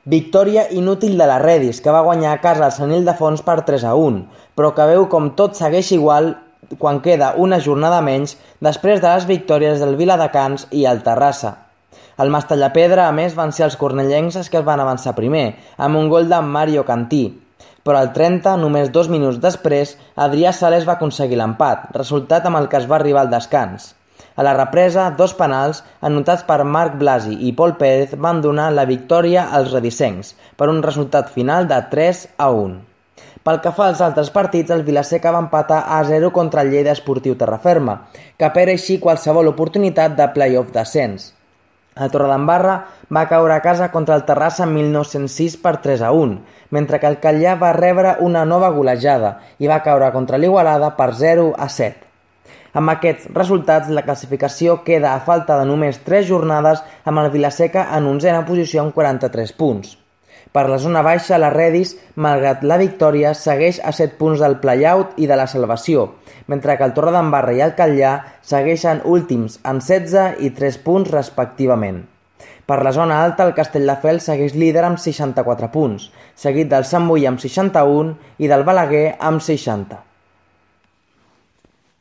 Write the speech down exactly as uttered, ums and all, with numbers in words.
Victòria inútil de la Redis, que va guanyar a casa el Sant Ildefons per tres a un, però que veu com tot segueix igual quan queda una jornada menys després de les victòries del Viladecans i el Terrassa. El Mastellapedra, a més, van ser els cornellencs que es van avançar primer, amb un gol de Mario Cantí. Però al trenta, només dos minuts després, Adrià Sales va aconseguir l'empat, resultat amb el que es va arribar al descans. A la represa, dos penals, anotats per Marc Blasi i Pol Pérez, van donar la victòria als redisencs, per un resultat final de tres a un. Pel que fa als altres partits, el Vila-seca va empatar a zero contra el Lleida Esportiu Terraferma, que perd així qualsevol oportunitat de play-off d'ascens. El Torredembarra va caure a casa contra el Terrassa en mil nou-cents sis per tres a un, mentre que el Catllà va rebre una nova golejada i va caure contra l'Igualada per zero a set. Amb aquests resultats, la classificació queda a falta de només tres jornades amb el Vila-seca en onzena posició amb quaranta-tres punts. Per la zona baixa, la Redis, malgrat la victòria, segueix a set punts del play-out i de la salvació, mentre que el Torredembarra i el Catllà segueixen últims en setze i tres punts respectivament. Per la zona alta, el Castelldefels segueix líder amb seixanta-quatre punts, seguit del Sant Boi amb seixanta-un i del Balaguer amb seixanta.